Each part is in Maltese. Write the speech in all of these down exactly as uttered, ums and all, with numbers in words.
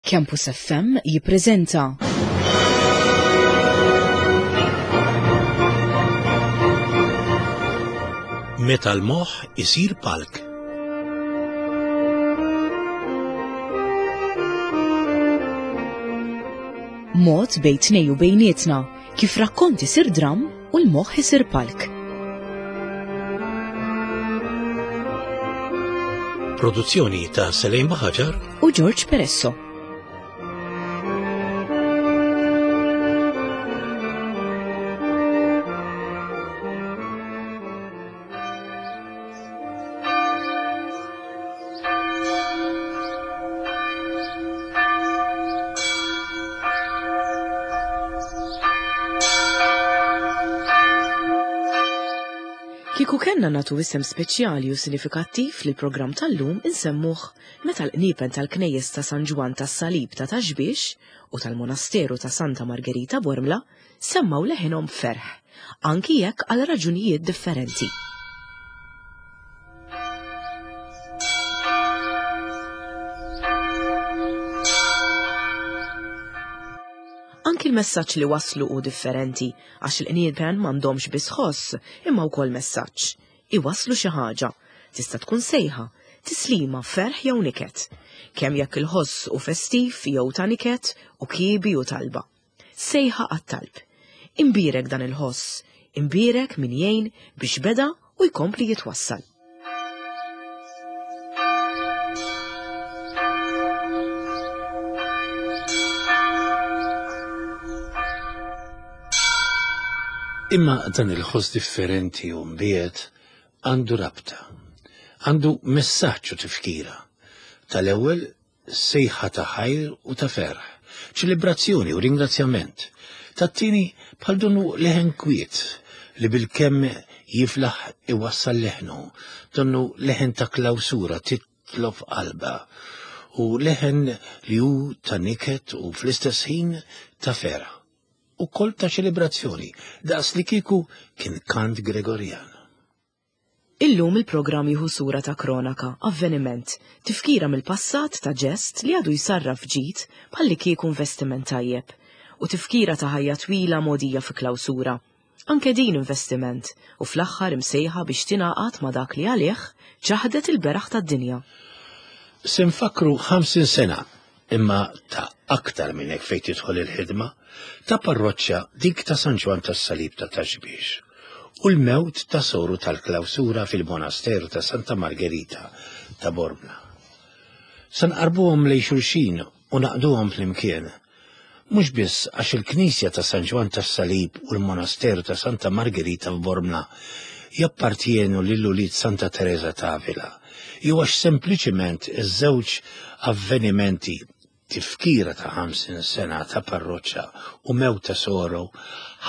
Campus F M jippreżenta Meta l-moħħ isir palk. Mod bejn tnejn u bejnietna kif rakkont isir dram u l-moħħ isir palk. Produzzjoni ta' Selejn Baħaġar u George Peresso. Kieku kellna nagħtu isem speċjali u sinifikattiv li programm tal-lum, insemmuh meta l-qniepen tal-knejjes ta' San Ġwann tas-Salib ta' Ta' Xbiex u tal-Monasteru ta' Santa Margherita Bormla semmaw leħinhom ferħ, anki jekk għal raġunijiet differenti. Anki l-messaġġ li waslu hu differenti, għax il-qniepen m'għandhomx biss ħoss imma wkoll messaġġ. Iwasslu xi ħaġa, tista' tkun sejħa, tislima, ferħ jew niket. Kemm jekk il-ħoss hu festiv jew ta' niket u kiebi u talba. Sejħa għat-talb. Imbierek dan il-ħoss, imbierek min jgħin biex beda u jkompli jitwassal. Imma dan il-ħoss differenti u mbiet għandu rabta, għandu messaġġ u tifkira. Tal-ewwel sejħa ta' ħajr u ta' ferħ, ċelebrazzjoni u ringrazzjament. Tat-tieni bħal donnu leħen kwiet li bil-kemm jiflaħ iwassal leħnu, donnu leħen ta' klawsura titlob qalba u leħen li hu ta' niket u fl-istess ħin ta' ferħ. U kol ta' ċelebrazzjoni, daqs li kieku kien kant Gregorjan. Illum il-programm jieħu sura ta' kronaka, avveniment, tifkira mill-passat ta' ġest li għadu jsarraf ġid bħalli kieku investiment tajjeb, u tifkira ta' ħajja twila mogħdija fi klawsura. Anke din investiment, u fl-aħħar imsejħa biex tingħaqad ma' dak li għalih ċaħdet il-beraħ tad-dinja. Se nfakru ħamsin sena, imma ta' aktar minn hekk fejn tidħol il-ħidma, ta' parroċċa dik ta' San Ġwann tas-Salib ta' Ta' Xbiex u l-mewt ta' soru tal-klawsura fil-monasteru ta' Santa Margherita ta' Bormla. Se nqarbuhom lejn xulxin u naqduhom flimkien. Mhux biss għax il-Knisja ta' San Ġwann tas-Salib u l-Monasteru ta' Santa Margherita f'Bormla jappartienu lil ulied Santa Teresa ta' Avila, jew għax sempliċiment iż-żewġ avvenimenti tifkira ta' ħamsin sena ta' parroċċa u mewt ta' soru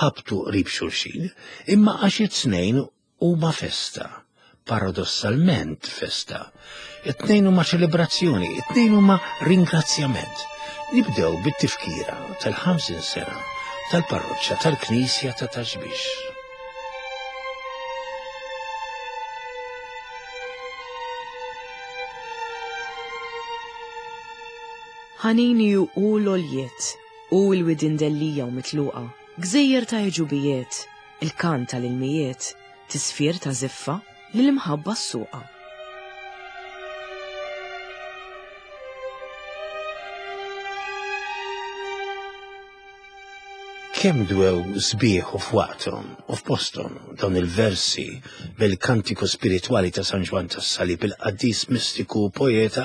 ħabtu qrib xulxin, imma għax it-tnejn huma festa, paradossalment festa. It-tnejn huma ċelebrazzjoni, it-tnejn huma ringrazzjament. Nibdew bit-tifkira tal-ħamsin sena tal-parroċċa tal-Knisja ta' Ta' Xbiex. Ħanini u l-oljiet, u l-widin dellija u mitluqa, gżejjer ta' ġubijiet, il-kant tal-ilmijiet, tisfir ta' ziffa li l-imħabba s-suqa. Kemm dwew sbieħ u f'waqthom u f'posthom dawn il-versi bil-kantiku spiritwali ta' San Ġwann tas-Salib, il-qaddis mistiku u poeta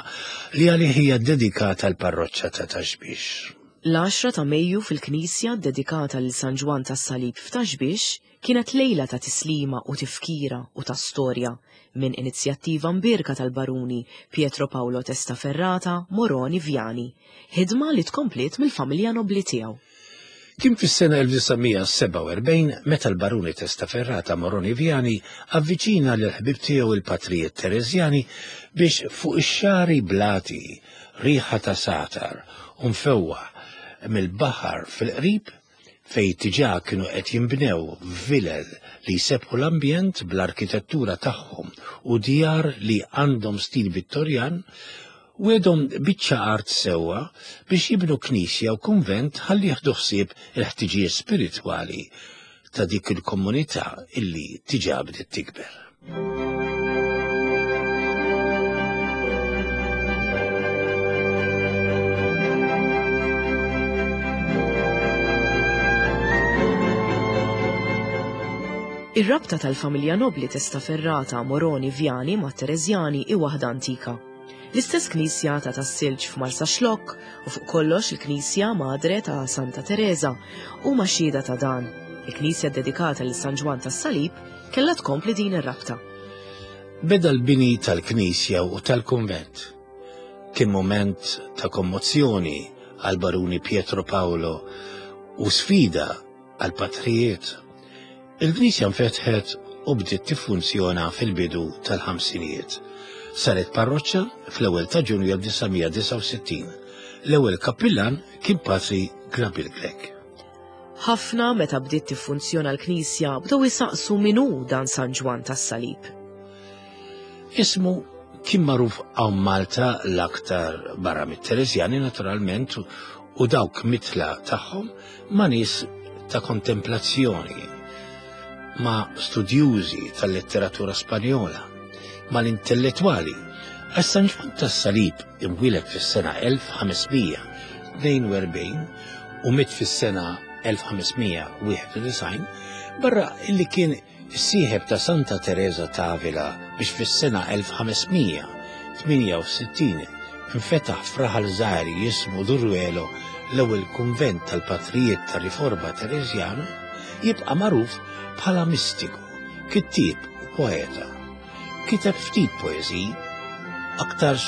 li għalih hija dedikata l-parroċċa ta' Ta' Xbiex. L-għaxra ta' Mejju fil-Knisja dedikata lil San Ġwann tas-Salib f'Ta' Xbiex kienet lejla ta' tislima u tifkira u ta' storja minn inizjattiva mbierka tal-baruni Pietro Paolo Testaferrata Moroni Viani, ħidma li tkompliet mill-familja nobli tiegħu. Kien fis-sena elf disa' mija sebgħa u erbgħin meta l-baruni Testaferrata Moroni Viani avviċina lil ħbib tiegħu il-patrijiet Tereżjani biex fuq ix-xari blati riħa ta' satar u mfewwaħ mill-baħar fil-qrib fej diġà kienu qed jinbnew vilel li jsebħu l-ambjent bl-arkitettura tagħhom u djar li għandhom stil Vittorjan, Wegħedhom biċċa art sewwa biex jibnu knisja u kunvent ħalli jieħdu ħsieb il-ħtiġijiet spiritwali ta' dik il-komunità illi diġà bdiet tikber. Ir-rabta tal-familja nobli Testaferrata Moroni Vjani ma' Tereżjani hi waħda antika. L-istess knisja ta' Tas-Silġ f'Marsaxlokk u fuq kollox il-knisja Madre ta' Santa Teresa huma xhieda ta' dan. Il-knisja ddedikata lil San Ġwann tas-Salib kellha tkompli din ir-rabta. Beda l-bini tal-knisja u tal-kunvent. Kien mument ta' kommozzjoni għal baruni Pietro Paolo u sfida għal patrijiet. Il-knisja nfetħet u bdiet tiffunzjona fil-bidu tal-ħamsinijiet. Saret parroċċa fl-ewwel ta' Ġunju elf disa' mija disgħa u sittin. L-ewwel kappillan kien Patri Gabriel Grech. Ħafna meta bdiet tiffunzjona l-knisja bdew isaqsu min hu dan San Ġwann tas-Salib. Ismu kien magħruf hawn Malta l-aktar barra mit-Tereżjani naturalment u dawk mitla tagħhom ma' nies ta' kontemplazzjoni, ma' studjużi tal-letteratura Spanjola, mal-intellettwali. Għax San Ġwann tas-Salib imwieled fis-sena elf ħames mija tnejn u erbgħin u miet fis-sena elf ħames mija wieħed u disgħin, barra illi kien is-sieħeb ta' Santa Teresa ta' Avila biex fis-sena elf ħames mija tmienja u sittin infetaħ f'raħal żgħir jismu Duruelo l-ewwel kunvent tal-patrijiet tar-Riforma Tereżjana, jibqa' magħruf bħala mistiku, kittieb u poeta. Kiteb ftit poeżiji, aktarx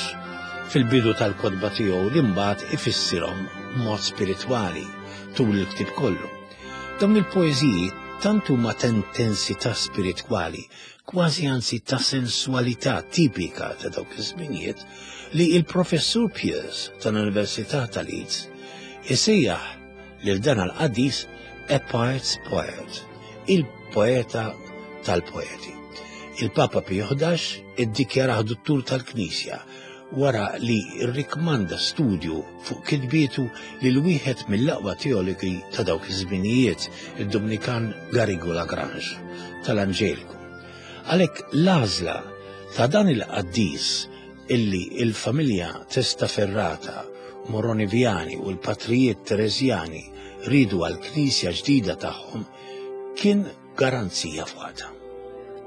fil-bidu tal-kotba tiegħu li mbagħad ifissirhom b'mod spiritwali tul il-ktieb kollu. Dawn il-poeżiji tant huma ta' intensità spiritwali, kważi anzi ta' sensualità tipika ta' dawk iż-żminijiet, li il-Professur Pearce tal-Università ta' Leeds isejjaħ lil dan il-qaddis a poet's poet, il-poeta tal-poeti. Il-Papa Pio ħdax iddikjarah duttur tal-Knisja wara li rrikmanda studju fuq kitbietu lil wieħed mill-aqwa teologi ta' dawk iż-żminijiet, id-Dominikan Garrigou Lagrange tal-Anġeliku. Għalhekk l-għażla ta' dan il-qaddis illi il-familja Testaferrata, Moroni Viani u l-patrijiet Tereżjani ridu għal-knisja ġdida tagħhom kien garanzija fuqha.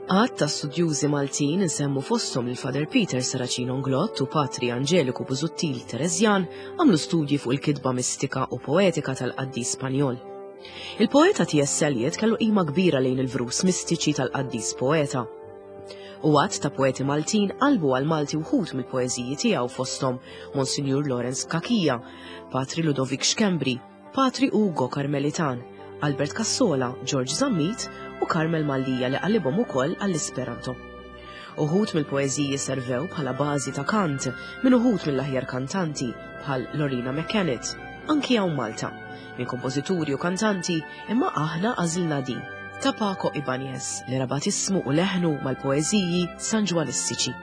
Għadd ta' studjużi Maltin nsemmu fosthom il-Father Peter Saracino Nglott u Patri Angeliku Busuttil Tereżjan għamlu studji fuq il-kitba mistika u poetika tal-qaddis Spanjol. Il-poeta T S Eliot kellu qima kbira lejn il-vrus mistiċi tal-qaddis poeta. U għadd ta' poeti Maltin qalbu għal Malti wħud mill-poeżiji tiegħu fosthom Monsignor Lawrence Cachia, Patri Ludovic Schembri, Patri Ugo Karmelitan, Albert Cassola, George Zammit u Carmel Mallia li qalibhom ukoll għall-Esperanto. Uħud mill-poeżiji servew bħala bażi ta' kant minn uħud mill-aħjar kantanti bħal Lorena McKennitt, anki hawn Malta, minn kompożituri u kantanti, imma aħna għażilna din ta' Paco Ibanez li rabat ismu u leħnu mal-poeżiji Sanġwanistiċi.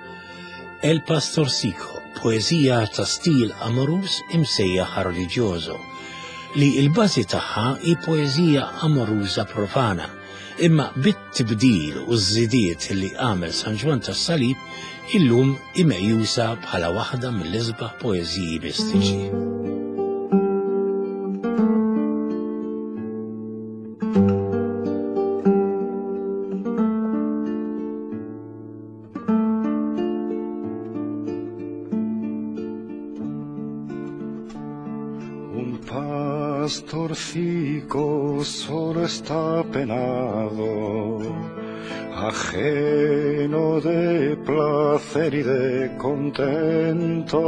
El Pastorcico, poeżija ta' stil amorus imsejjaħ religioso, li il-bażi tagħha hi poeżija amoruża profana, imma bit-tibdil u ż-żidiet li għamel San Ġwann tas-Salib illum imeqjusa bħala waħda mill-isbaħ poeżiji mistiċi. Un pastorcico solo está penado, ajeno de placer y de contento,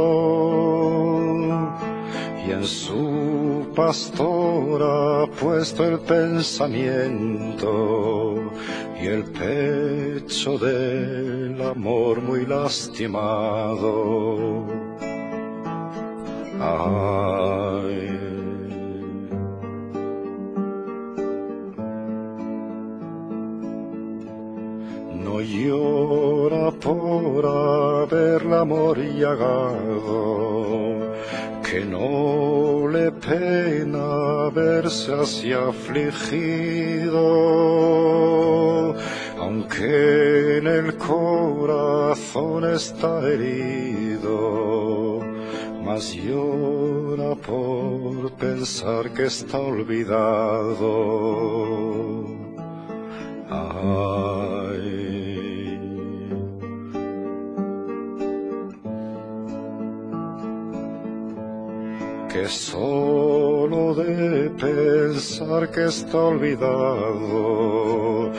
y en su pastora ha puesto el pensamiento y el pecho del amor muy lastimado. Ay. No llora Por haberla amor llagado, que no le pena verse así afligido, aunque en el corazón está herido, mas llora por pensar que está olvidado. Ay. Que solo de pensar que está olvidado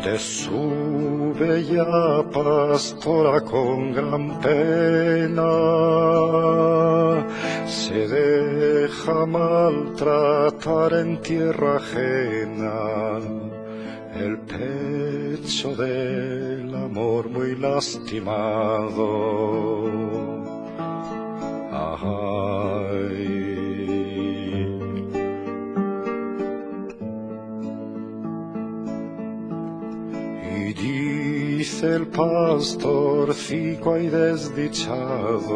de su bella pastora con gran pena, se deja maltratar en tierra ajena, el pecho del amor muy lastimado. Ay. Y dice el pastorcico ay desdichado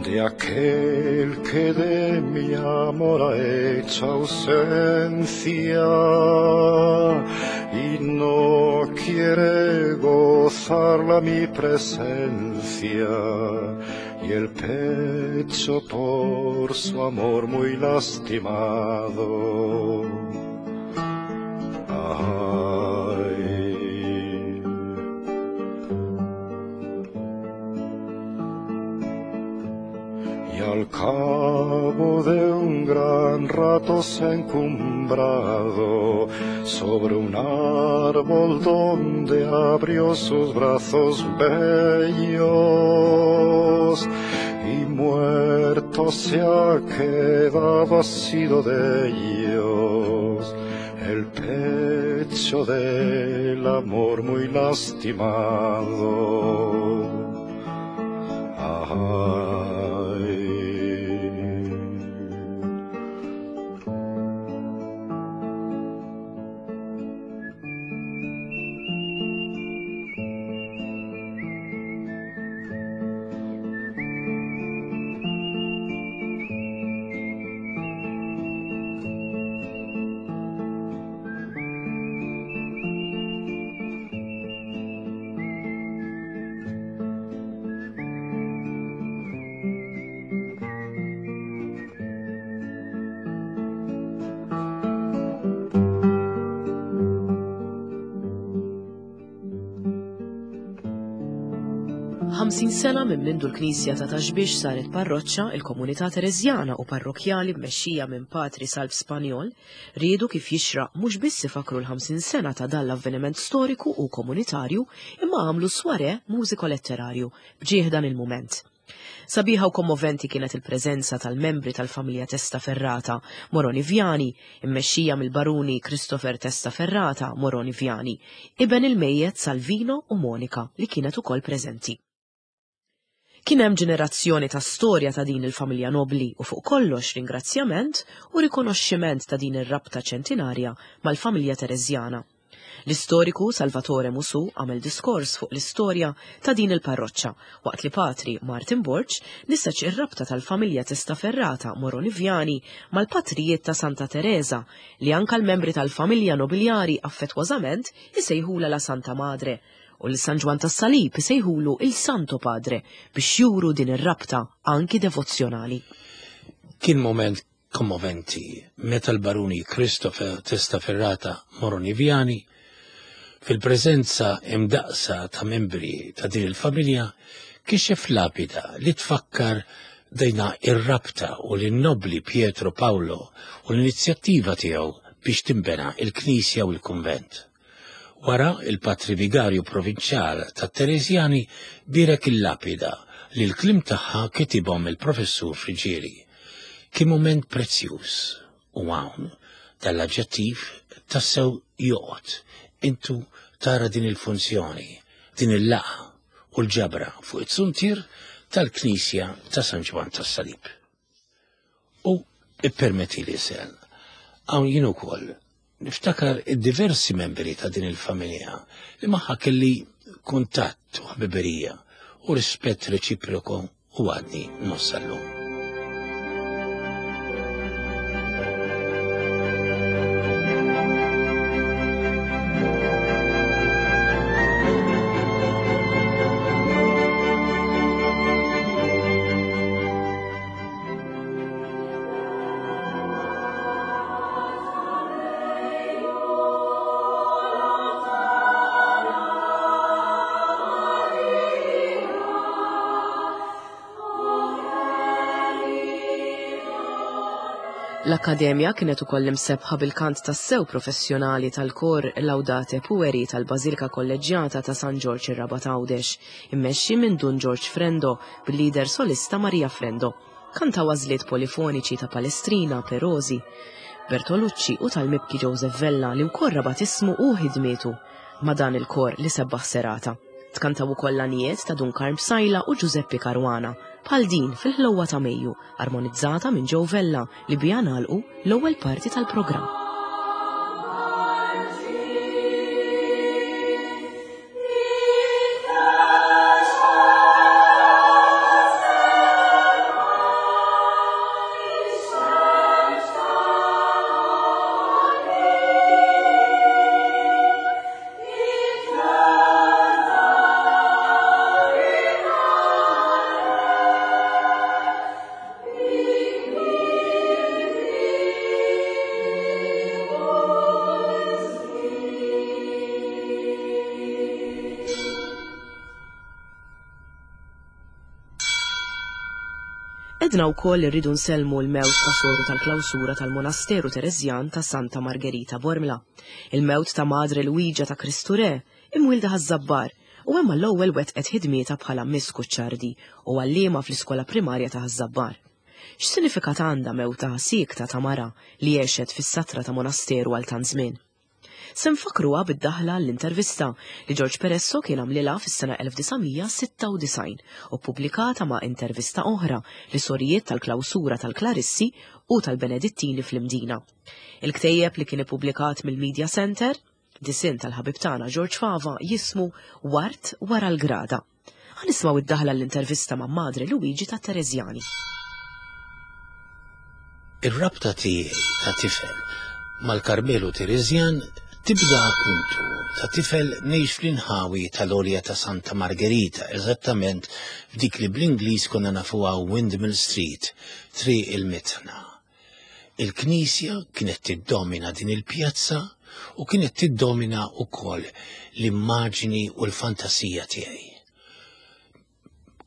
de aquel que de mi amor ha hecho ausencia y no quiere gozarla mi presencia, y el pecho por su amor muy lastimado. Ay. Y al cabo de un gran rato se ha encumbrado sobre un árbol donde abrió sus brazos bellos, y muerto se ha quedado, ha sido de ellos el pecho del amor muy lastimado. Ay. Ħamsin sena minn mindu l-Knisja ta' Ta' Xbiex saret parroċċa, il-komunità Tereżjana u parrokjali mmexxija minn Patri Salv Spanjol riedu kif jixraq mhux biss ifakru l-ħamsin sena ta' dan l-avveniment storiku u komunitarju, imma għamlu sware mużiko-letterarju bġieħ dan il-mument. Sabiħa u kommoventi kienet il-preżenza tal-membri tal-familja Testaferrata Moroni Viani, immexxija mill-baruni Christopher Testaferrata Moroni Viani, iben il-mejjet Salvino u Monika li kienet ukoll preżenti. Kien hemm ġenerazzjoni ta' storja ta' din il-familja nobli u fuq kollox ringrazzjament u rikonoxximent ta' din ir-rabta ċentinarja mal-familja Tereżjana. L-istoriku Salvatore Musu għamel diskors fuq l-istorja ta' din il-parroċċa, waqt li Patri Martin Borg nisaċ ir-rabta tal-familja Testaferrata Moroni Viani mal-patrijiet ta' Santa Teresa li anka l-membri tal-familja nobiljari affettwożament isejħula la Santa Madre, u l-San Ġwann tas-Salib isejħulu il-Santo Padre biex juru din ir-rabta anki devozzjonali. Kien moment kommoventi meta l-baruni Christopher Testaferrata Moroni Viani, fil-preżenza imdaqsa ta' membri ta' din il-familja, kixef lapida li tfakkar dejna ir-rabta u l-nobli Pietro Paolo u l-inizjattiva tiegħu biex timbena il-Knisja u l-Kunvent. Wara il-Patri Vigarju Provinċjal ta' Tereżjani birek il-lapida li l-klim tagħha kitibhom il-Professur Friġieri. Kien moment prezzjuż u hawn tal-aġġettiv tassew joqgħod. Intu tara din il-funzjoni, din il-laqgħa u l-ġabra fuq it-suntier tal-Knisja ta' San Ġwann tas-Salib. U ippermetti li sel, hawn jien ukoll niftakar id-diversi membri ta' din il-familja li magħha kelli kuntatt u ħbiberija u rispett reċiproku u għadni nossallu. L-Akkademja kienet ukoll imsebħa bil-kant tas-sew professjonali tal-kor Laudate Pueri tal-Bażilika Kolleġġjata ta' San Ġorġ ir-Rabat Għawdex, immexxi minn Dun Ġorġ Frendo bil-lider solista Maria Frendo. Kantaw għażliet polifoniċi ta' Palestrina, Perosi, Bertolucci u tal-mibki Joseph Vella li wkoll rabat ismu u ħidmietu ma' dan il-kor li sebbaħ serata. Tkantaw ukoll l-għanijiet ta' Dun Karm Sajla u Giuseppe Caruana, bħal din fil-ħlewwa ta' Mejju, armonizzata minn Joe Vella li biha nagħlqu l-ewwel parti tal-programm. Edna wkoll irridu nsellmu l-mewt ta' soru tal-klawsura tal-Monasteru Tereżjan ta' Santa Margherita Bormla, il-mewt ta' Madre Luigia ta' Kristu Re, imwilda Ħaż-Żabbar, u hemm l-ewwel wettqet ħidmietha bħala Miss Kuċċardi u għalliema fl-iskola primarja ta' Ħaż-Żabbar. X'sinifikat għandha mewta siekta ta' mara li għexet fis-satra ta' monasteru għal tant żmien? Se nfakruha bid-daħla l-intervista li George Peresso kien għamlilha fis-sena elf disa' mija sitta u disgħin u ppubblikata ma' intervista oħra li sorijiet tal-klawsura tal-Klarissi u tal-Benedittini fl-Imdina. Il-ktejjeb li kien ippubblikat mill-Media Center, disinn tal-ħabib tagħna George Fava, jismu Wart wara l-Grada. Ħa nismgħu id-daħla l-intervista ma' Madre Luigi ta' Tereżjani. Ir-rabta tiegħi ta' tifel mal-Karmelu Tereżjan tibda appuntu ta' tifel ngħix fl-inħawi tal-Olja ta' Santa Margherita, eżattament f'dik li bl-Ingliż konna nafuha Windmill Street, Triq il-Mitħna. Il-Knisja kienet tiddomina din il-pjazza u kienet tiddomina wkoll l-immaġni u l-fantasija tiegħi.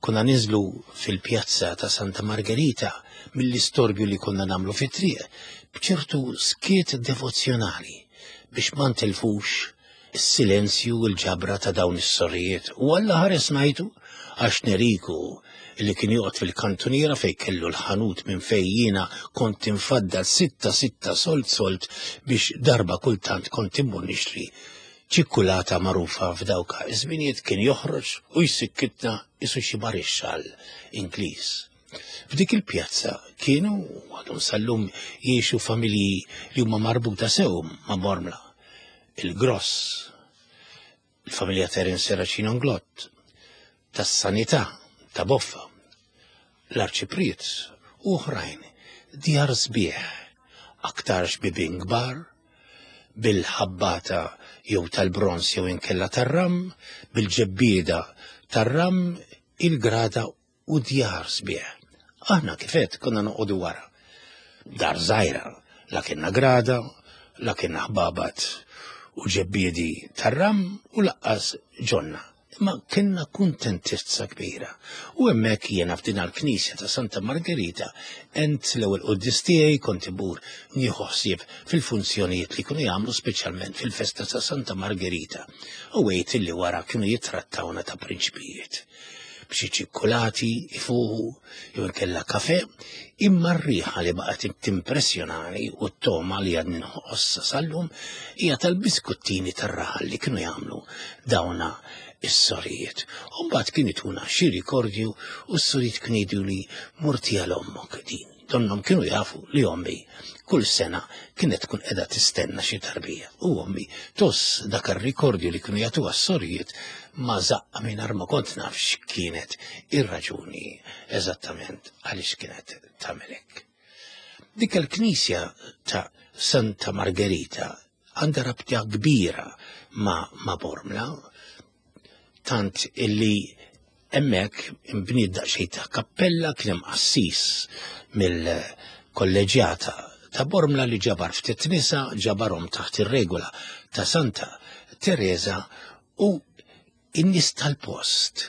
Konna ninżlu fil-pjazza ta' Santa Margherita mill-istorbju li konna nagħmlu fit-triq b'ċertu skiet devozzjonali biex ma ntilfux is-silenzju u l-ġabra ta' dawn is-sorijiet. U Alla ħares ngħidu għax Neriku li kien joqgħod fil-kantuniera fejn kellu l-ħanut minn fejn jiena kont infaddal sitta sitta solt solt biex darba kultant kont immur nixtri ċikkulata magħrufa f'dawk iż-żminijiet, kien joħroġ u jsikkitna isu xi marixxall Ingliż. F'dik il-pjazza kienu għadhom sal-lum jgħixu familji li huma marbuta sew ma' Bormla. Il-Gross, il-familja Terence Serracino Inglott, tas-Sanità, ta' Boffa, l-Arċipriet u oħrajn, djar sbieħ, aktarx bibien kbar, bil-ħabbata jew tal-bronz jew inkella tar-ram, bil-ġebbieda tar-ram, il-grada u djar sbieħ. Aħna kifet konna noqogħdu wara. Dar żgħira, la kienna grada, la kienna ħbabat u ġebbiedi tar-ram u laqqas ġonna. Imma kienna kuntentizza kbira. U hemmhekk jiena f'din l-Knisja ta' Santa Margherita ent l-ewwel quddies tiegħi kont imur nieħu ħsieb fil-funzjonijiet li kienu jagħmlu speċjalment fil-festa ta' Santa Margherita. U għejt illi wara kienu jittrattawna ta' prinċpijiet. B'xi ċikkulati ifuħu jew inkella kafe, imma r-riħa li baqgħet timpressjonani u t-toma li għadni nħossa sal-lum hija tal-biskuttini tar-raħal li kienu jagħmlu dawna is-sorijiet. U mbagħad kien ituna xi rikordju u s-sorijiet kienu jgħidu li morti għal ommok din. Donnhom kienu jafu li ommi kull sena kienet tkun qiegħda tistenna xi tarbija. U ommi toss dak ir-rikordju li kienu jagħtuha s-sorijiet ma żaqqa mingħajr ma kont naf x'kienet ir-raġuni eżattament għaliex kienet tagħmel hekk. Dik il-knisja ta' Santa Margherita għandha rabta kbira ma', ma Bormla, tant illi hemmhekk imbniet daqsxejn ta' kappella, kien hemm qassis mill-kolleġjata ta' Bormla li ġabar ftit nisa, ġabarhom taħt ir-regola ta' Santa Teresa, u in-nies tal-post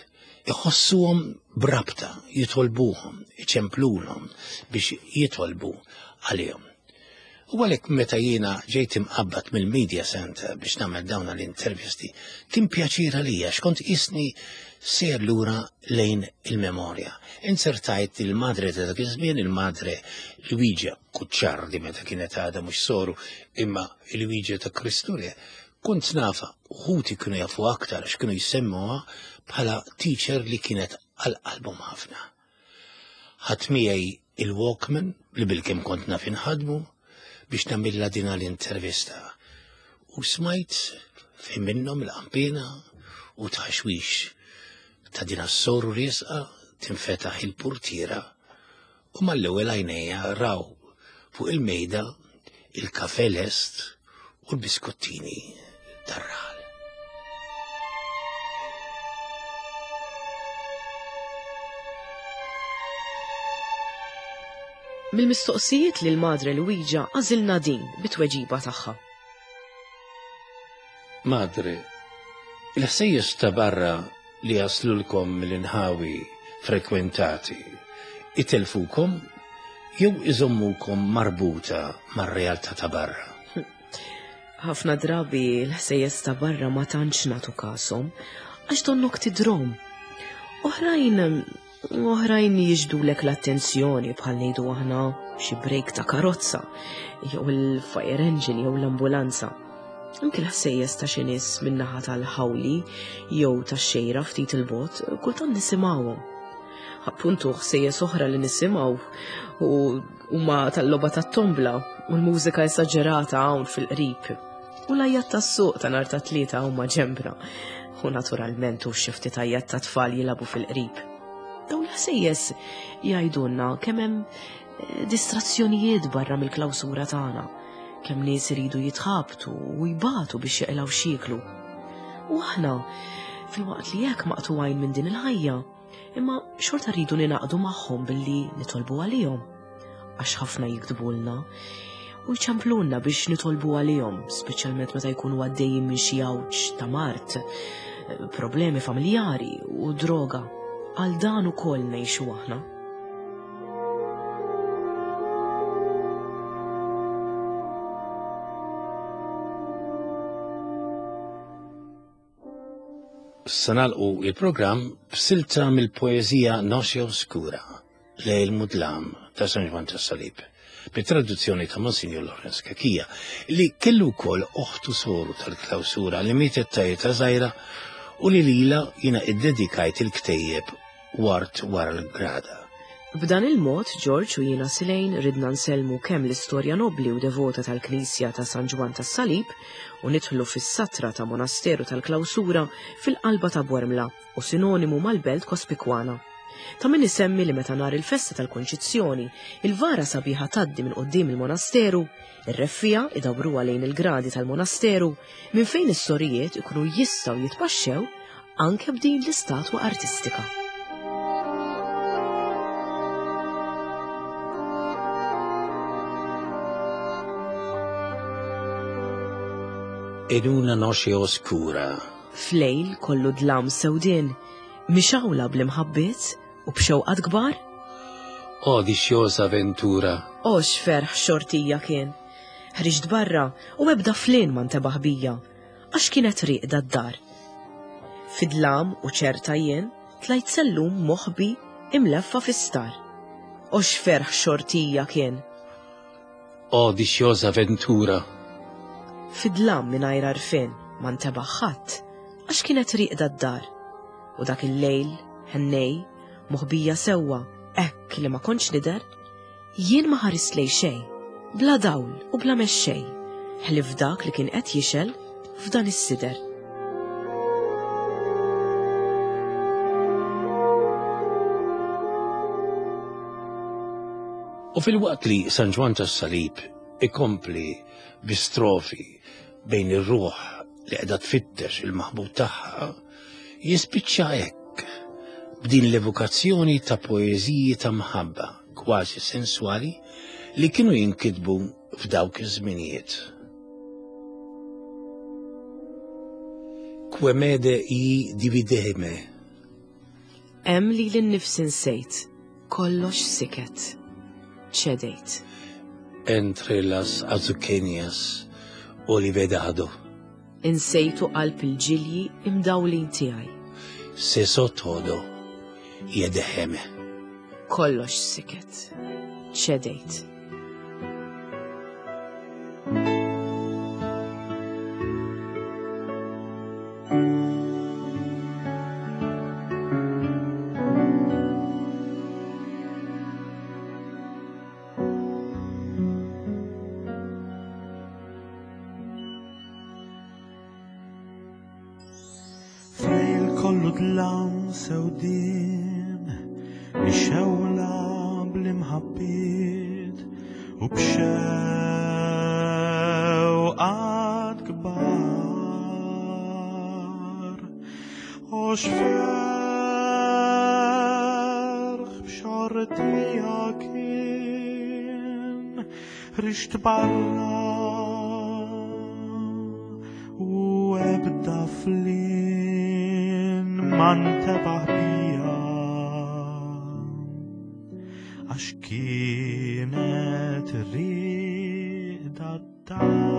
iħossuhom b'rabta, jitolbuhom, iċemplulhom biex jitolbu għalihom. U għalhekk meta jiena ġejt imqabbad mill-Media Center biex nagħmel dawn l-intervisti, kien pjaċir għalija x'kont qisni sejjer lura lejn il-memorja. Insertajt il-madre ta' dak iż-żmien, il-madre Luigia Cucciardi, meta kienet għadha mhux soru, imma Luigia ta' Kristu Re, kont nafa, ħuti kienu jafu aktar għax kienu jsemmuha bħala teacher li kienet għal qalbhom ħafna. Ħadt miegħi il-Walkman li bilkemm kont naf inħadmu biex nagħmilha din l-intervista. U smajt fejn minnhom il-qampina u tħaxwix ta' din as-soru riesqa tinfetaħ il-portiera u mal-ewwel għajnejja raw fuq il-mejda il-kafe lest u l-biskottini tar-raħal. Mill-mistoqsijiet lil Madre Luigia għażilna din bit-tweġiba tagħha. Madre, il-ħsejjes ta' barra li jaslulkom mill-inħawi frekwentati itelfukom jew iżommukom marbuta mar-realtà ta' barra? Ħafna drabi l-ħsejjes ta' barra ma tantx nagħtu kashom għax donnok tidrom. Oħrajn oħrajn jiġbdulek l-attenzjoni bħal ngħidu aħna xi brejk ta' karozza jew il-fire engine jew l-ambulanza. Anki l-ħsejjes ta' xi nies min-naħa tal-ħawli jew tax-xejra ftit il-bogħod kultant nisimgħuhom. Appuntu ħsejjes oħra li nisimgħu u huma tal-logħba tat-tombla u l-mużika esaġerata hawn fil-qrib. U l-għajat tas-suq ta' nhar ta' tlieta huma ġembra. U naturalment u xi ftit għajat ta' tfal jilagħbu fil-qrib. Dawn l-ħsejjes jgħidulna kemm hemm eh, distrazzjonijiet barra mill-klawsura tagħna, kemm nies iridu jitħabtu u jbatu biex jaqilgħu x'jieklu. U aħna, filwaqt li hekk maqtugħin minn din il-ħajja, imma xorta rridu ninaqdu magħhom billi nitolbu għalihom. Għax ħafna jiktbulna u jċemplulna biex nitolbu għalihom, speċjalment meta jkunu għaddejjin minn xi għawġ ta' mard, problemi familjari u droga. Għal dan ukoll ngħixu aħna. Se nagħlqu il-programm b'silta mill-poeżija Noche Oscura, Lejl Mudlam ta' San Ġwann tas-Salib, bit-traduzzjoni ta' Monsignor Lawrence Cachia, li kellu wkoll oħtu soru tal-klawsura li mietet ta' età żgħira u li lila jiena iddedikajt il-ktejjeb Wart wara l-grada. B'dan il-mod, George u jiena Silejn ridna nsellmu kemm l-istorja nobli u devota tal-Knisja ta' San Ġwann tas-Salib u nidħlu fis-satra ta' monasteru tal-klawsura fil-qalba ta' Bormla u sinonimu mal-belt Kospikwana. Ta' min isemmi li meta nhar il-festa tal-Konċizzjoni, il-vara sabiħa tgħaddi minn quddiem il-monasteru, ir-reffija idawruha lejn il-gradi tal-monasteru, minn fejn is-sorijiet ikunu jistgħu jitpaxxew anke b'din l-istatwa artistika. In una noche oscura. Flejl kollu dlam sewdien, mixawla bl-imħabbiet u b'xewqat kbar. O diciosa ventura. O x'ferħ xortija kien. Ħriġt barra u ebda flin ma ntebaħ bija, għax kienet rieqda d-dar. Fidlam u ċerta jien tlajt sellum moħbi imleffa fi-star. O x'ferħ xortija kien. O diciosa ventura. Fidlam mingħajr għarfien ma ntebaħ ħadd, għax kienet rieqda d-dar. U dak il-lejl, ħennej, moħbija sewwa, hekk li ma kontx nidher, Jien ma ħarist lejn xejn, bla dawl u bla mexxej, ħlief dak li kien qed jixgħel f'dan is-sider. U fil-waqt li San Ġwann tas-Salib ikompli bi strofi bejn ir-ruħ li qiegħda tfittex il-maħbub tagħha, jispiċċa hekk b'din l-evokazzjoni ta' poeżiji ta' mħabba kważi sensuali li kienu jinkitbu f'dawk iż-żminijiet. Quemede i divideme. Hemm li l-nifsi nsejt, kollox siket, ċedejt. Entre las azuqueñas olivedado. Insejtu qalb il-ġilji imdawlin tiegħi. Cesó todo y dejéme. Kollox siket, ċedejt. Flejl kollu dlam sewdien, ixewla bl-imħabbiet u b'xewqat kbar. U x'ferħ b'xortija kien rixt barra u ebda flin ma ntebaħ bija għax kienet rida d-dar.